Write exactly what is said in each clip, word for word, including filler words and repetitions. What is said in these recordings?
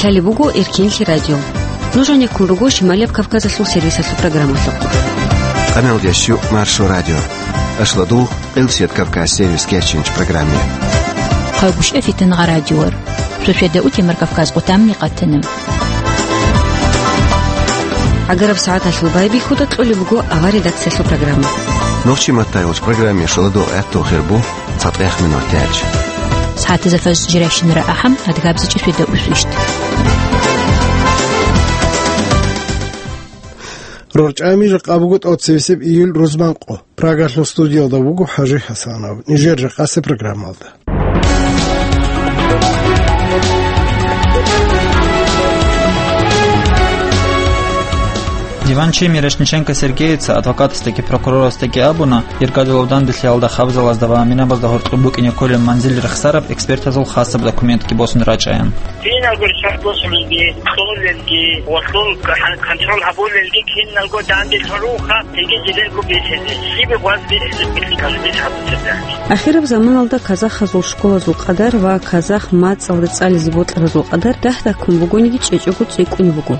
Лъалеб буго Эркенлъи радио. Нуж гьанеккун руго Шималияб Кавказалъул сервисалъул программалъухъ. Къаналдящу Маршо радио. Ашладул Къилсият Кавказ сервис кечинч программе. Хъагушев Фитнагъа радиор. Суседа утемар Кавказ къутамни къатана. Агараб сагӀаталъул байбихьуда кьолеб буго авар редакциялъул программа. Нохчи маттай уч программе шоладо гӀатту хирбу. ЦатӀех минут тяч. СагӀатазда фаз жирайщинара ахӀам, адгабзичӀи светда усвищт. РорчӀами жакъа буго тӀоцевесеб июль рузманкъо. Прагалъул студиялда вуго ХӀажи ХӀасанов. Нижер жакъасеб программалда. Диванчи Мирошниченко Сергеяца адвокатасдаги прокурорасдаги абуна, Иргадулав данделъиялда хабзалазда ва минабазда гьоркьоб букӀине кколеб манзил рехсараб экспертазул хасаб документги босун рачӀаян. Киналго шартӀ босулелги, кьолелги, ва лъун кон-, контроль гьабулелги киналго данделъун руха, цинги жидерго бихьизе, щиб гъваз бихьизе, бихьи калбис гьабуцеб. Ахираб заманалда казахазул школазул къадар ва казах мацӀалда цӀализе бокьаразул къадар дагь-дагьккун бугониги чӀечӀого цӀикӀкӀунеб буго.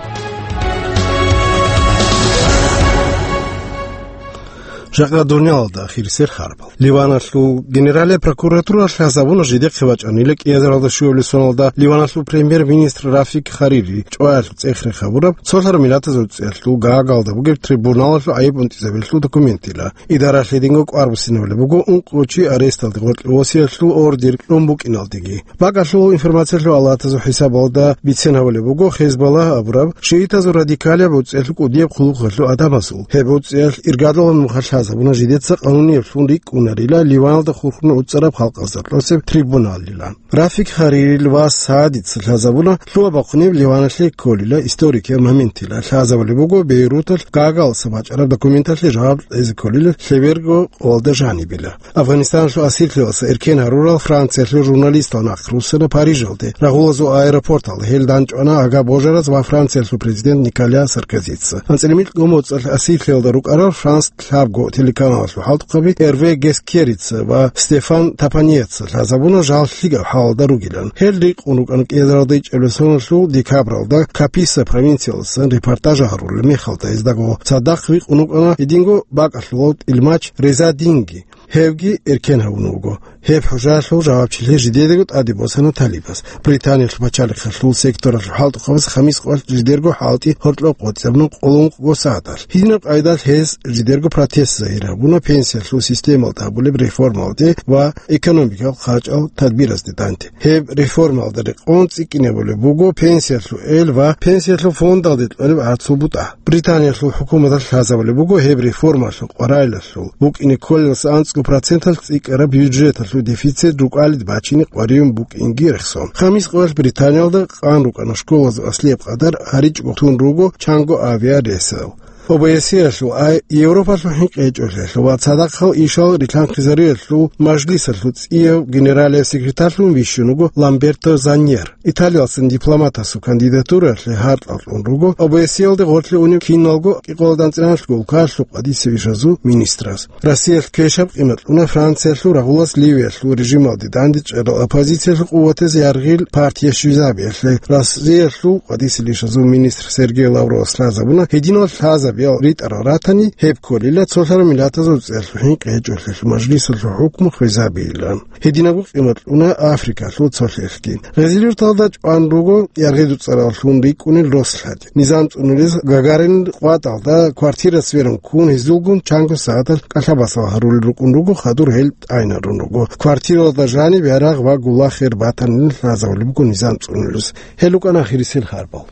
Жакъа дунялалда ахирисел хабар. Ливаналъул генералияб прокуратура лъазабуна жидехъе бачӀанила кӀиазаралда щуабилеб соналда Ливаналъул премьер-министр Рафик Харири чӀваялъул цӀех рехабураб цолъараб миллатазул цӀиялъул Гаагалда бугеб трибуналалъул гӀайиб унтӀизабиялъул документила. Идаралъ гьединго кӀвар буссинабулеб буго ункъо чи аресталде гъоркье восиялъул ордер кьун букӀиналдеги. БакӀалъул информациялъул алатазул хӀисабалда бицен гьавулеб буго Хезболлагь абураб шиитазул радикалияб уцӀиялъул кӀудияб хъулухъалъул гӀадамазул. Гьеб уцӀиялъ иргадулаб нухалъ лъазабуна жидеца къануниявлъун рикӀкӀунарила Ливаналда хурхун уцӀараб халкъазда тӀоцеб трибуналила. Рафик Харирил вас Саадица лъазабуна лъугьа-бахъунеб Ливаналъе кколила историкиял моментила. Лъазабулеб буго Бейруталъ Гаагаласа бачӀараб документалъе жаваб кьезе кколила лъеберго къоялда жанибила. Афганистаналъул асирлъиялдаса эркен гьарурал Франциялъул журналистал нахъ руссана Парижалде. Рагъулазул аэропорталда гьел данчӀвана ага божараз ва Франциялъул президент Николя Саркозица. АнцӀила микьго моцӀалъ асирлъиялда рукӀарал Франс лъабго телеканалалъул хӀалтӀухъаби Эрве Гескерица ва Стефан Тапаньеца лъазабуна жал лъикӀаб хӀалалда ругилан. Гьел рикъун рукӀана кӀиазаралда ичӀабилеб соналъул декабралда Каписа провинциялдасан репортаж гьарулел мехалда. Гьездаго цадахъ рикъун рукӀана гьединго бакӀалъулав тӀилмач Реза Динги. Гьевги эркен гьавун вуго. Гьеб хӀужаялъул жавабчилъи жидедаго тӀаде босана талибас. Британиялъул пачалихъалъул секторалъул хӀалтӀухъабаз хамис къоялъ жидерго хӀалтӀи гьоркьоб къотӀизабуна къоло ункъго сагӀаталъ. Гьединаб къайдалъ гьез жидерго протест загьир гьабуна пенсиялъул системалда гьабулеб реформалде ва экономикал хъачӀал тадбиразде данде. Гьеб реформалда рекъон цӀикӀкӀинабулеб буго пенсиялъул эл ва пенсиялъул фондалде кьолеб гӀарцул бутӀа. Британиялъул хӀукуматалъ лъазабулеб буго гьеб реформалъул къварилъиялъул букӀине кколелдаса анцӀго проценталъ цӀикӀкӀараб бюджеталъул дефицит рукӀалде бачине къваригӀун букӀинги рехсон. Хамис къоялъ Британиялда къан рукӀана школазул аслияб къадар гьаричӀого тун руго чанго авиарейсал. ОБСЕ-ялъул, ай, Европалъул хӀинкъи гьечӀолъиялъул ва цадахъал ишал рилъанхъизариялъул мажлисалъул цӀияв генералияб секретарьлъун вищун вуго Ламберто Заньер. Италиялдасан дипломатасул кандидатуралъе гьаркьал кьун руго ОБСЕ-ялде гъорлъе унев киналго кӀикъоялда анцӀила анлъго улкаялъул къватӀисел ишазул министраз. Россиялъ квешаб къимат кьуна Франциялъул рагъулас Ливиялъул режималде дандечӀарал оппозициялъул къуватаз яргъил партия щвезабиялъе. Россиялъул къватӀисел ишазул министр Сергей Лавровас лъазабуна, гьединал лъазабиял ритӀарал ратани, гьеб кколила цолъараб миллатазул цӀиялъул хӀинкъи гьечӀолъиялъул мажлисалъул хӀукму хвезабийилан. Гьединабго къимат кьуна Африкалъул цолъиялъги. Гъезил юрталда чӀван руго яргъи дуцӀараллъун рикӀкӀунел рос лъади. Низам цӀунулез Гагарин къватӀалда квартира сверун ккун, гьезулгун чанго сагӀаталъ кӀалъа-басал гьарулел рукӀун руго, хадур гьел тӀайнарун руго. Квартиралда жаниб ярагъ ва гулахер батанилан лъазабулеб буго низам цӀунулез. Гьел рукӀана ахирисел хабарал.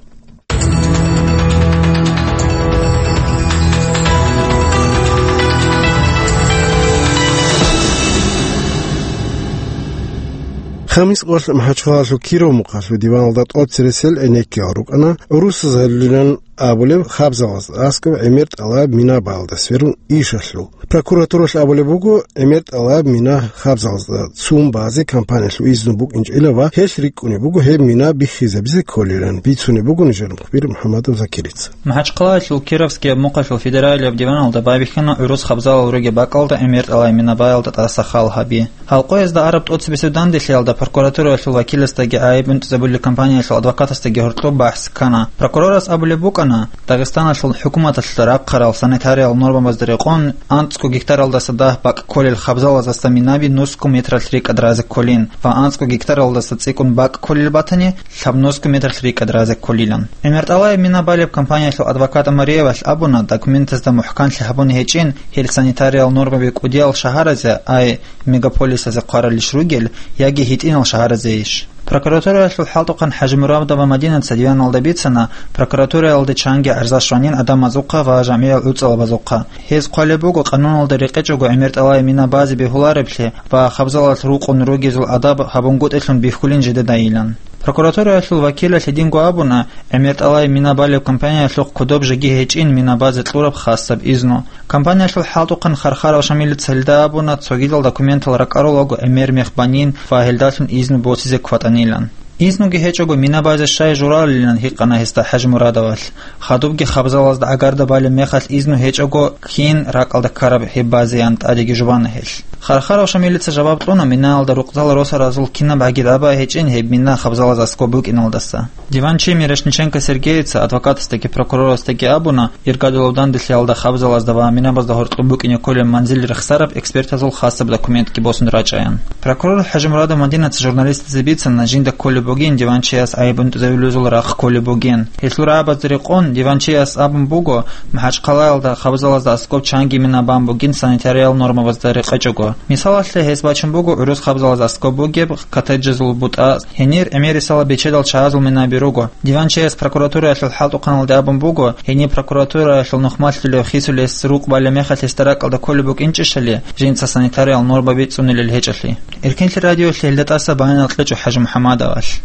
Хамис къоялъ МахӀачхъалалъул Киров мухъалъул диваналда тӀоцересел гӀенеккиял рукӀана гӀурусазарилан абулеб хабзалазда аскӀоб гӀемер тӀалаб мина балда сверун ишалъул. Прокуратуралъ абулеб буго, гӀемер тӀалаб мина хабзалазда цун базе компаниялъул изну букӀинчӀила ва гьелъ рикӀкӀунеб буго гьеб мина биххизабизе кколилан, бицунеб буго нижер мухбир МухӀаммадов Закирица. МахӀачхъалаялъул Кировский мухъалъул федералияб диваналда байбихьана гӀурус хабзалал ругеб бакӀалда гӀемер тӀалай мина балда тӀаса хал гьаби. Гьалкъоязда араб тӀоцебесеб данделъиялда прокуратураялъул вакиласдаги гӀайиб унтӀизабулел компаниялъул адвокатасдаги гьоркьоб бахӀс ккана. Прокурорас абулеб букӀана, Дагъистаналъул хӀукуматалъ рахъарал санитариял нормабазда рекъон анцӀго гектаралдаса дагь бакӀ кколел хабзалаздаса минаби нусго метралъ рикӀкӀад разе кколин ва анцӀго гектаралдаса цӀикӀкӀун бакӀ кколел батани, лъабнусго метралъ рикӀкӀад разе кколилан. ГӀемер тӀалай мина балеб компаниялъул адвокат Амариевалъ абуна, документазда мухӀканлъи гьабун гьечӀин, гьел санитариял нормаби кӀудиял шагьаразе, ай, мегаполисазе хъваралищ ругел, яги гьитӀинал шагьаразейищ. Прокуратураялъул хӀалтӀухъан ХӀажимурадова Мадинаца диваналда бицана, прокуратураялде чанги гӀарза щванин гӀадамазухъа ва жамгӀиял гӀуцӀалабазухъа. Гьез хъвалеб буго, къануналда рекъечӀого гӀемер тӀалай мина базе бегьуларевлъи ва хабзалалъ рукъун ругезул адаб гьабунгутӀелъун бихьулин жидедайилан. Прокуратураялъул вакилалъ гьединго абуна, гӀемер тӀалай мина балеб компаниялъухъ кодоб жеги гьечӀин мина базе кьураб хасаб изну. Компаниялъул хӀалтӀухъан Хархарав Шамилица гьелда абуна, цогидал документал ракӀарулаго гӀемер мех банин ва гьелдалъун изну босизе кватӀанилан. Изнуги гьечӀого мина базе щай журалилан гьикъана гьесда ХӀажимурадовалъ. Хадубги хабзалазда гӀагарда балеб мехалъ изну гьечӀого, кин ракӀалда ккараб гьеб базеян тӀадеги жубана гьелъ. Хархарав Шамилица жаваб кьуна, минаялда рукъзал росаразул кинаб гӀаги тӀаба гьечӀин гьеб мина хабзалаз аскӀоб букӀиналдаса. Диванчи Мирошниченко Сергеица адвокатасдаги прокурорасдаги абуна, иргадулаб данделъиялда хабзалазда ва минабазда гьоркьоб букӀине кколеб манзил рехсараб экспертазул хасаб документги босун рачӀаян. Прокурор ХӀажимурадов Мадинаца журналистазе бицана, жинда кколеб бугин диванчияс гӀайиб унтӀизавулезул рахъ кколеб бугин. Гьелъул рагӀабазда рекъон диванчияс абун буго, МахӀачхъалаялда хабзалазда аскӀоб чанги мина бан бугин санитариял нормабазда рекъечӀого. Мисалалъе, гьес бачун буго гӀурус хабзалаз аскӀоб бугеб коттеджазул бутӀа, гьенир гӀемерисела бечедал чагӀазул минаби руго. Диванчияс прокуратураялъул хӀалтӀухъаналде абун буго, гьениб прокуратураялъул нухмалъулев хисулес рукъ балеб мехалъ гьесда ракӀалда кколеб букӀинчӀищали, жинца санитариял норма бицунилел гьечӀолъи. Эркенлъи радиолъе гьелда тӀаса баянал кьечӀо ХӀажимухӀаммадовалъ.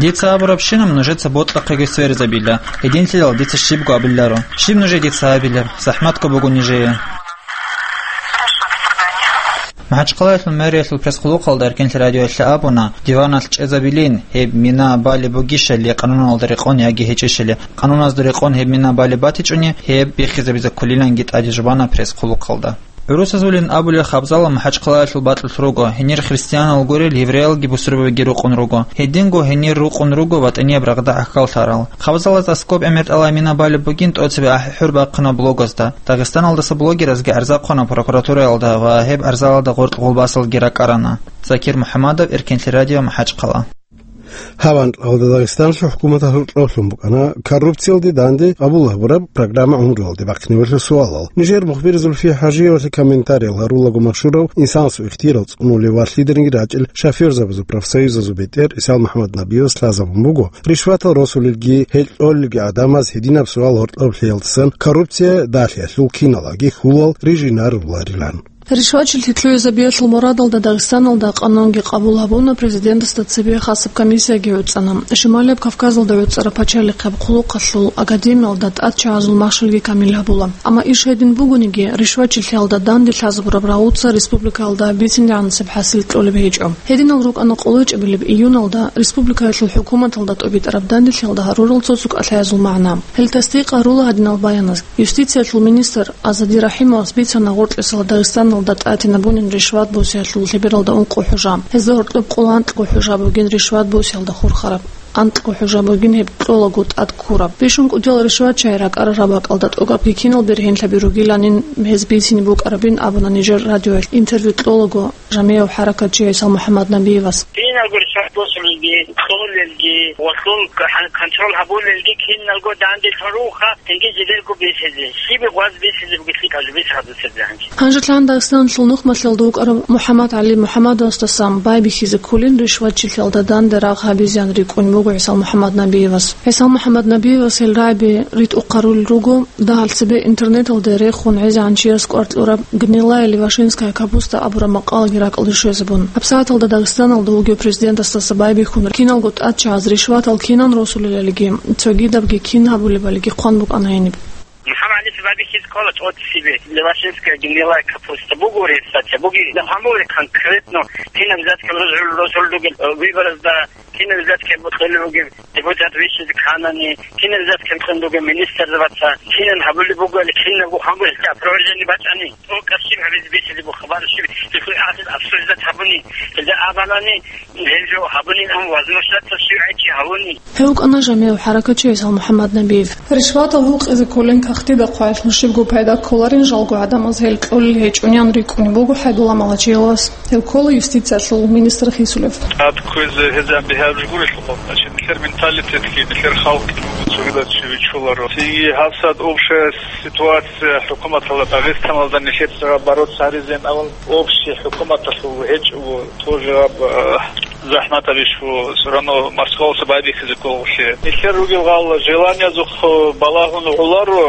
Дица абурабщинаб нужеца бокьахъеги сверизабила, гьединлъидал дица щибго абиларо. Щиб нужее дица абилеб? Захматго буго нижее. МахӀачхъалаялъул мэриялъул пресс-хъулухъалда Эркенлъи радиоялъе абуна, диваналъ чӀезабилин, гьеб мина балеб бугищали къануналда рекъон яги гьечӀищали, къануназда рекъон гьеб мина балеб батичӀони, гьеб биххизабизе кколиланги тӀаде жубана пресс-хъулухъалда. ГӀурусазулин абулел хабзала МахӀачхъалаялъул бакьулъ руго, гьенир христианал гурел евреялги бусурбабиги рукъун руго. Гьединго гьенир рукъун руго ватӀанияб рагъда гӀахьаллъарал. Хабзалаз аскӀоб гӀемер тӀалай мина балеб бугин тӀоцебе ахӀи-хӀур бахъана блогазда. Дагъистаналдаса блогеразги гӀарза хъвана прокуратураялда ва гьеб гӀарзалда гъоркь гъулбасалги ракӀарана. Закир МухӀаммадов, Эркенлъи радио, МахӀачхъала. Гьаб анкьалда Дагъистаналъул хӀукуматалъул кьолъун букӀана коррупциялде данде къабул гьабураб программа гӀумруялде бахъинабураб суалал. Нижер мухбир Зульфия ХӀажиевалъе комментариял гьарулаго машгьурав, инсанасул ихтияр цӀунулев ва лъиданиги рачӀел шофёрзабазул профсоюзазул бетӀер Исал МухӀаммад Набиевас лъазабун буго, ришватал росулелги гьел кьолелги гӀадамаз гьединаб суал гьоркьоб лъеялдасан коррупция далъиялъул киналаги хьулал рижинаруларилан. Ришвачилъи лъугӀизабиялъул мурадалда Дагъистаналда къанунги къабул гьабуна, президентасда цебе хасаб комиссияги гӀуцӀана. Шималияб Кавказалда гӀуцӀараб пачалихъаб хъулухъалъул академиялда тӀадчагӀазул махщелги камил гьабула. Амма иш гьедин бугониги, ришвачилъиялда данде лъазабураб рагъуца республикаялда бицинегӀанасеб хӀасил кьолеб гьечӀо. Гьединал рукӀана къоло чӀебилеб июналда республикаялъул хӀукуматалда тӀубитӀараб данделъиялда гьарурал цо-цо кӀалъаязул магӀна. Гьел тасдикъ гьарула гьадинал баяназ. Юстициялъул министр Азади Рахимовас бицана гъоркьисала Дагъистаналда тӀатинабунин ришват босиялъул лъебералда ункъо хӀужа. Гьезда гьоркьоб къоло анкьго хӀужа бугин ришват босиялда хурхараб. Анкьго хӀужа бугин гьеб кьолаго тӀад ккураб. Бищун кӀудиял ришватчагӀи ракӀарараб бакӀалда тӀокӀабги кинал бергьенлъаби ругиланин гьез бицине букӀарабин абуна нижер радиоялъ интервью кьолаго жамигӀав хӀаракатчи ГӀисал МухӀаммад Набиевас. Киналго ришват босулелги, кьолелги, ва лъун кон-, контроль гьабулелги киналго данделъун руха, цинги жидерго бихьизе. Щиб гъваз бихьизе бугелъи калубис гьабусеб гьанже. Гьанжелъан Дагъистаналъул нухмалъалда вукӀарав МухӀаммад ГӀали МухӀаммадовасдасан байбихьизе кколин ришватчилъиялда данде рагъ гьабизеян рикӀкӀунеб ГӀисал МухӀаммад Набиевас. ГӀисал МухӀаммад Набиевас гьел рагӀаби ритӀухъарулел руго, дагьал цебе интернеталде рехун гӀезегӀан чияс кӀвар кьураб «Гнилая левашинская капуста» абураб макъалаги ракӀалде щвезабун. ГьабсагӀаталда Дагъистаналда вугев президентасдаса байбихьун киналго тӀадчагӀаз ришватал кинан росулелалиги, цогидабги кин гьабулебалиги хъван букӀана гьениб. МухӀаммадица байбихьизе ккола тӀоцебе, левашинская гнилая капуста буго гьеб статья, буги гьамуле конкретно кинаб взяткаби росулел ругел, э, выборазда кинаб взяткаби кьолеб бугеб, депутат вищизе кканани, кинаб взяткаби кьун бугеб министрзабаца, кинан гьабулеб бугоали, кинабго гьамулеб опровержение бачӀани, тӀокӀаб щиб гьабизе бихьулеб буго хабар щиб, цохӀо гӀадин обсуждать гьабуни, гьелда абанани, гьел жо гьабунин, ам возможностал щивгӀайчи гьавуни. Гьев вукӀана жамигӀав хӀаракатчи ГӀисал МухӀаммад Набиев. Ришватал гьукъизе кколин кагътида хъваялъул щибго пайда кколарин жалго гӀадамаз гьел кьолел гьечӀуниян рикӀкӀунеб буго ХӀайбулла Малачиевас. Гьев ккола юстициялъул министр хисулев. ТӀад кквезе гьезан бигьараб жо гурелъул хӀакъалъе, нилъер менталитетги, нилъер халкъги цогидал чи вичуларо. Цинги гьабсагӀат общая ситуация хӀукуматалда Дагъистаналда нилъеца бороться гьаризеян абун, общий хӀукуматалъул гьечӀого, тоже гьаб, э, захӀматабищ ву, всё равно Москваласа байбихьизе кколгъулъе. Нилъер ругел гъал желаниязухъ балагьун гӀоларо,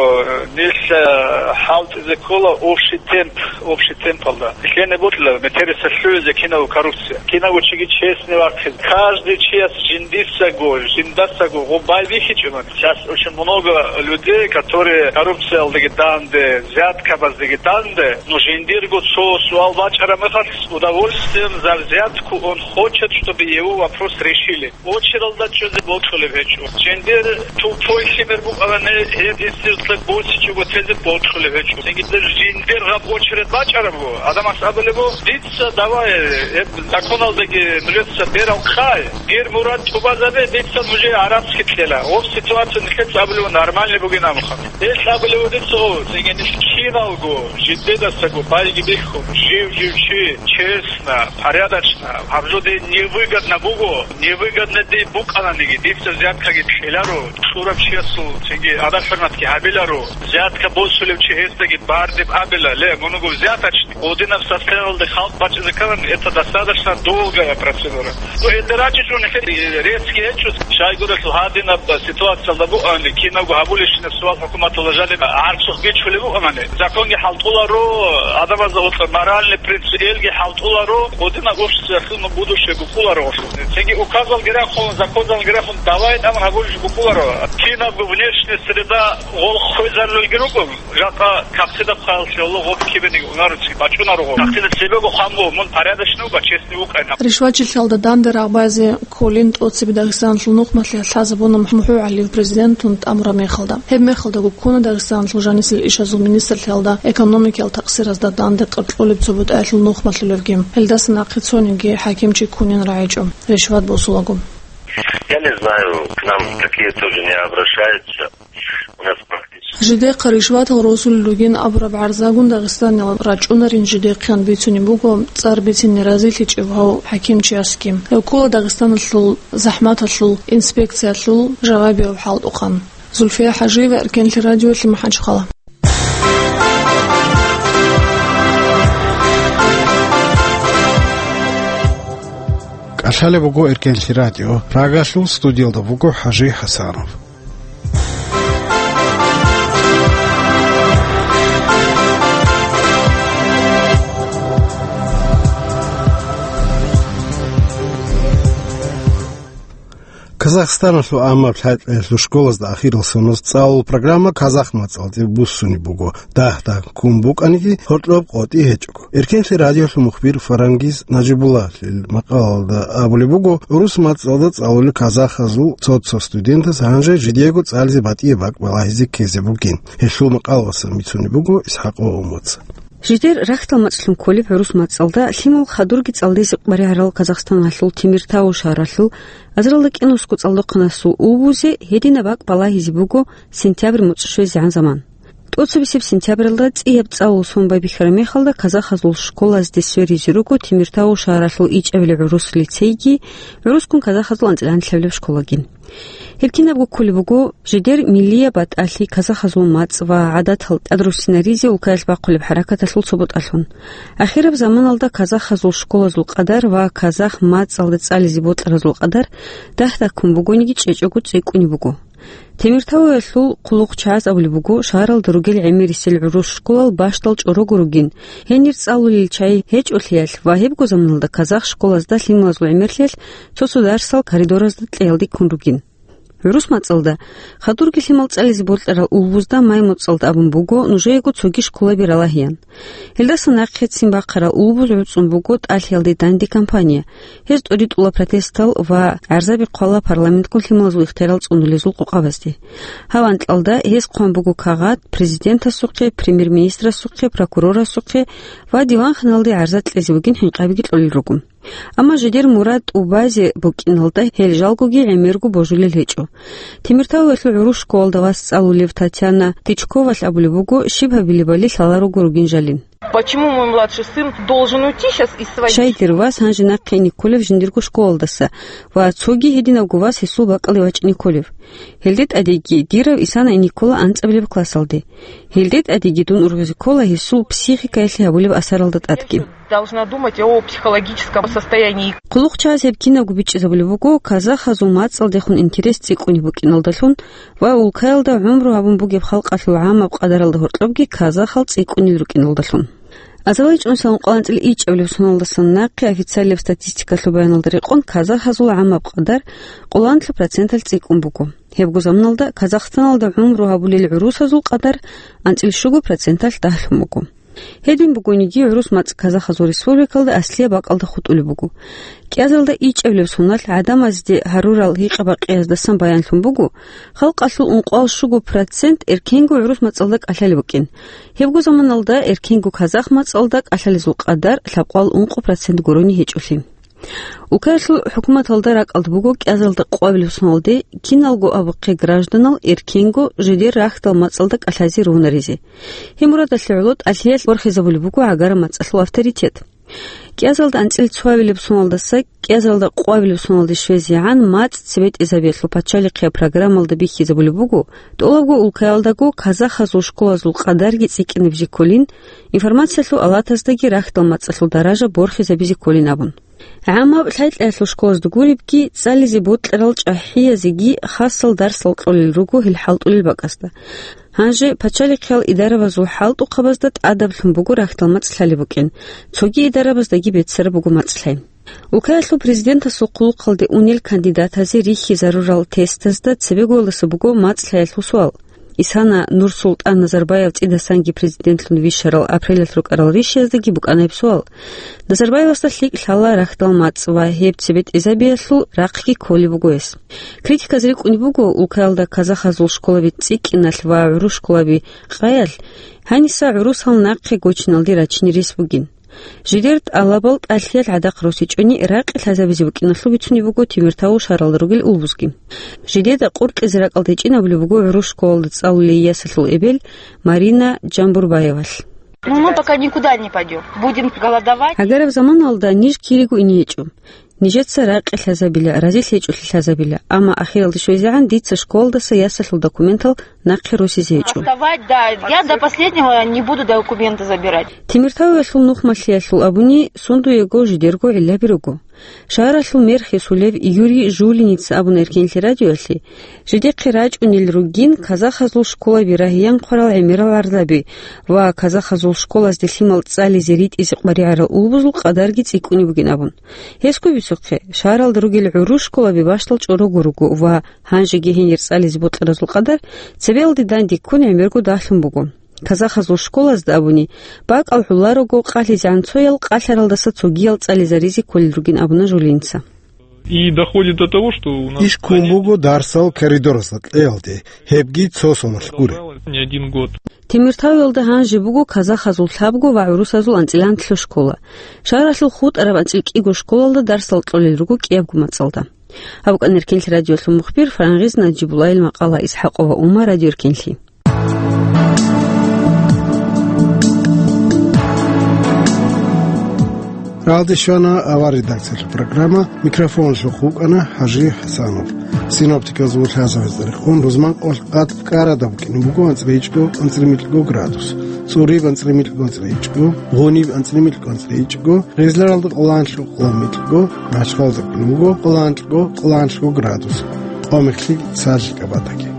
нилъ, э, хӀалтӀизе ккола общий темп, общий темпалда. Нилъене бокьила метерисалъугӀизе кинабго коррупция. Кинабго чиги честный вахъизе. Каждый чияс жиндисаго, жиндасаго гъоб байбихьичӀо. Сейчас очень много людей, которые коррупциялдаги данде, взяткабаздаги данде, но жиндирго цо суал бачӀараб мехалъ, с удовольствием за взятку он хочет, чтобы его вопрос решили. Очералда чӀезе бокьулеб гьечӀо. Жиндир тупой лъимер букӀарани, гьеб институталъ босичӀого тезе бокьулеб гьечӀо. Цинги жиндир гьаб очередь бачӀарабго, гӀадамас абулеб буго, дица давай, гьеб законалдаги нужеца берал хъай. Дир мурад тӀубазабе, дица нужее гӀарац хикьела. Гъоб ситуация нилъеца абулеб нормальный бугин абухъан. Гьелъ абулеб дица гъов, цинги нилъ киналго, жидедасаго байги бихьун, жив-жив чи, честно, порядочно, гьаб жо дие невыгодно буго, невыгодно дие букӀананиги, дица взяткаги кьеларо, кьурав чиясул цинги адаб-хӀурматги гьабиларо, взятка босулев чи гьесдаги бардиб абила, ле, мунго взяточник. Гъодинаб состояниялде халкъ бачӀизе кканани, это достаточно долгая процедура. Ну, гьелда рачӀичӀони хӀед, э, резкий гьечӀо, щайгурелъул гьадинаб ситуациялда бугони, кинабго гьабулищинаб суал хӀукуматалда жаниб гӀарцухъ бичулеб бугони, законги хӀалтӀуларо, гӀадамазда гьоркьоб моральный принцип элги хӀалтӀуларо, гъодинаб обществоялъул будущее букӀуларо гъолъул. Цинги указалги рахун, законалги рахун, давай тӀамун гьабулищ букӀуларо. Кинабго внешняя среда гъол хвезарулги руго. Жакъа кагътида хъваялъе гьоло гъоб кибениги унаро чи бачӀунаро гъоб. Кагътида цебего хъван буго, мун порядочный ва честный вукӀайин. Ришвачилъалда данде рагъбазе кколин тӀоцебе Дагъистаналъул нухмалъи лъазабуна МухӀу ГӀалиев президентун тӀамураб мехалда. Гьеб мехалдаго ккуна Дагъистаналъул жанисел ишазул министрлъиялда экономикиял такъсиразда данде къаркьулеб цо бутӀаялъул нухмалъулевги. Гьелдаса нахъе цониги хӀакимчи ккунин рагӀичӀо, ришват босулаго. Я не знаю, к нам такие тоже не обращаются. У нас практически Жидехъа ришватал росулел ругин абураб гӀарзагун Дагъистаналъ рачӀунарин жидехъан бицунеб буго цӀар бицине разилъичӀев гьав хӀакимчиясги. Гьев ккола Дагъистаналъул захӀматалъул инспекциялъул жавабияв хӀалтӀухъан. Зульфия ХӀажиева, Эркенлъи радиолъи, МахӀачхъала. КӀалъалеб буго Эркенлъи радио. Прагалъул студиялда буго ХӀажи ХӀасанов. Казахстаналъул гӀаммаб лъай-кьеялъул школазда ахирал соноз цӀалул программа казах мацӀалде буссунеб буго. Дагь-дагь ккун букӀаниги, гьоркьоб къотӀи гьечӀого. Эркенлъи радиолъул мухбир Фарангиз Нажибуллалъил макъалалда абулеб буго, урус мацӀалда цӀалулел казахазул цо-цо студентаз гьанже жидего цӀализе батӀияб бакӀ балагьизе ккезе бугин. Гьелъул макъалалдасан бицунеб буго ИсхӀакъ Умуца. Жидер рахьдал мацӀлъун кколеб гӀурус мацӀалда лъимал хадурги цӀалдизе къваригӀарал Казахстаналъул Темиртау шагьаралъул азаралда кӀинусго цӀалдохъанасул улбузе гьединаб бакӀ балагьизе буго сентябрь муцӀ щвезегӀан заман. ТӀоцебесеб сентябралда цӀияб цӀалул сон байбихьараб мехалда казахазул школазде сверизе руго Темиртау шагьаралъул ичӀабилеб гӀурус лицейги, гӀурусккун казахазул анцӀила гьанлъабилеб школаги. Гьеб кинабго кколеб буго жидер миллияб батӀалъи, казахазул мацӀ ва гӀадатал тӀадруссинаризе улкаялъ бахъулеб хӀаракаталъул цо бутӀалъун. Ахираб заманалда казахазул школазул къадар ва казах мацӀалда цӀализе бокьаразул къадар дагь-дагьккун бугониги чӀечӀого цӀикӀкӀунеб буго. Темиртауялъул хъулухъчагӀаз абулеб буго, шагьаралда ругел гӀемерисел гӀурус школал бащдал чӀорого ругин, гьенир цӀалулел чагӀи гьечӀолъиялъ ва гьебго заманалда казах школазда лъималазул гӀемерлъиялъ цо-цо дарсал коридоразда кьеялде ккун ругин. ГӀурус мацӀалда, хадурги лъимал цӀализе бокьарал улбузда Маймуцалда абун буго нужеего цоги школаби ралагьеян. Гьелдаса нахъе ццин бахъарал улбуз гӀуцӀун буго тӀалъиялде данде кампания. Гьез тӀоритӀула протестал ва гӀарзаби хъвала парламентккун лъималазул ихтиярал цӀунулезул къокъабазде. Гьав анкьалда гьез хъван буго кагъат президентасухъе, премьер-министрасухъе, прокурорасухъе ва диванханалде гӀарза кьезе бугин хӀинкъабиги кьолел руго. Амма жидер мурад тӀубазе букӀиналда гьел жалгоги гӀемерго божулел гьечӀо. Темиртауялъул гӀурус школалда вас цӀалулев Татьяна Тычковалъ абулеб буго, щиб гьабилебали лъала руго ругин жалин. Почему мой младший сын должен уйти щас из своей... Щай дир вас гьанже нахъе ине кколев жиндирго школалдаса ва цоги гьединабго вас гьесул бакӀалде вачӀине кколев? Гьелде тӀадеги дирав Исана ине ккола анцӀабилеб классалде. Гьелде тӀадеги дун ургъизе ккола гьесул психикаялъе гьабулеб асаралда тӀадги. Должна думать о психологическом состоянии. ХъулухъчагӀаз гьеб кинабго бичӀчӀизабулеб буго, казахазул мацӀалдехун интерес цӀикӀкӀунеб букӀиналдалъун ва улкаялда гӀумру гьабун бугеб халкъалъул гӀамаб къадаралда гьоркьобги казахал цӀикӀкӀунел рукӀиналдалъун. Азарбайджан саламукъаланцӀил ичӀабилеб соналдасан нахъе официалияб статистикалъул баяналда рекъон казахазул гӀамаб къадар къоланлъи проценталъ цӀикӀкӀун буго. Гьебго заманалда Казахстаналда гӀумру гьабулел гӀурусазул къадар анцӀил щуго проценталъ дагьлъун буго. Гьедин бугониги, гӀурус мацӀ казахазул республикалда аслияб бакӀалда хутӀулеб буго. КӀиазалда ичӀабилеб соналъ гӀадамазде гьарурал гьикъа-бакъиялдасан баянлъун буго, халкъалъул ункъоялда щуго процент эркенго гӀурус мацӀалда кӀалъалеб букӀин. Гьебго заманалда эркенго казах мацӀалда кӀалъалезул къадар лъабкъоялда ункъо процент гурони гьечӀолъи. Улкаялъул хӀукуматалда ракӀалда буго кӀиазалда къоабилеб соналде киналго абухъе гражданал эркенго жидер рахьдал мацӀалда кӀалъазе ругьунаризе. Гьеб мурадалъе гӀоло тӀалъиялъ борхизабулеб буго гӀагараб мацӀалъул авторитет. КӀиазалда анцӀил цоабилеб соналдаса кӀиазалда къоабилеб соналде щвезегӀан мацӀ цебетӀезабиялъул пачалихъияб программалда бихьизабулеб буго, тӀолабго улкаялдаго казахазул школазул къадарги цӀикӀкӀинабизе кколин, информациялъул алатаздаги рахьдал мацӀалъул даража борхизабизе кколин абун. ГӀаммаб лъай-лъаялъул школазда гуребги, цӀализе бокьарал чӀахӀиязеги хасал дарсал кьолел руго гьел хӀалтӀулел бакӀасда. Гьанже пачалихъиял идарабазул хӀалтӀухъабазда тӀадаблъун буго рахьдал мацӀ лъалеб букӀин, цоги идарабаздаги беццараб буго мацӀ лъай. Улкаялъул президентасул хъулухъалде унел кандидатазе рихьизарурал тестазда цебегоялдаса буго мацӀ лъаялъул суал. Исана Нурсултан Назарбаев цӀидасанги президентлъун вищарал апрелалъ рукӀарал ришияздаги букӀана гьеб суал. Назарбаевасда лъикӀ лъала рахьдал мацӀ ва гьеб цебетӀезабиялъул рахъги кколеб буго гьес. Критиказ рикӀкӀунеб буго, улкаялда казахазул школаби цӀикӀкӀиналъ ва гӀурус школаби къаялъ, гьаниса гӀурусал нахъе гочиналде рачине рес бугин. Жидер тӀалабал тӀалъиялъ гӀадахъ росичӀони ракъи лъазабизе букӀиналъул бицунеб буго Темиртау шагьаралда ругел улбузги. Жидеда къуркьизе ракӀалда гьечӀин абулеб буго гӀурус школалда цӀалулей ясалъул эбел Марина Джамбурбаевалъ. Ну, мы пока никуда не пойдём. Будем голодовать. Гьагараб заманалда ниж кириго ине гьечӀо. Нижеца ракъи лъазабила, разилъи гьечӀолъи лъазабила, амма ахиралде щвезегӀан дица школалдаса ясалъул документал нахъе росизе гьечӀо. Отставать, да, я до последнего не буду документы забирать. Темиртауялъул нухмалъиялъул абуни, сундуего жидерго гӀиллаби руго. Шагьаралъул мэр хисулев Юрий Жулиница абуна Эркенлъи радиоялъе, жидехъе рачӀунел ругин казахазул школаби рагьиян хъварал гӀемерал гӀарзаби ва казахазул школазде лъимал цӀализе ритӀизе къваригӀарал улбузул къадарги цӀикӀкӀунеб бугин абун. Гьесго бицухъе, шагьаралда ругел гӀурус школаби бащдал чӀорого руго ва гьанжеги гьенир цӀализе бокьаразул къадар цебеялде данде ккун гӀемерго дагьлъун буго. Казахазул школазда абуни, бакӀал гӀоларого къалъизегӀан цоял къалъаралдаса цогиял цӀализаризе кколел ругин абуна Жулинца. И доходит до того, что у нас... Иш ккун буго дарсал коридоралда кьеялде, гьебги цо соналъ гури. Не один год. Темиртауялда гьанже буго казахазул лъабго ва гӀурусазул анцӀила анлъго школа. Шагьаралъул хутӀараб анцӀила кӀиго школалда дарсал кьолел руго кӀиябго мацӀалда. Гьаб букӀана Эркенлъи радиолъул мухбир Фарангъиз Наджибуллаил макъала. Исхьакъова Ума, Радио Эркенлъи. Рагьалде щвана авар редакциялъул программа, микрофоналъухъ вукӀана ХӀажи ХӀасанов. Синоптикалзул лъазабазда рекъон рузман къолъ къад КӀарада букӀине буго анцӀила гьечӀго анцӀила микьго градус, ЦӀуриб анцӀила микьго анцӀила гьечӀго, Гъуниб анцӀила микьго анцӀила гьечӀго, Гъизларалда къоланлъго къолан микьго, Махачкалда букӀине буго къоланлъго къоланлъго градус, Къомехлъи, Сархикабадаги.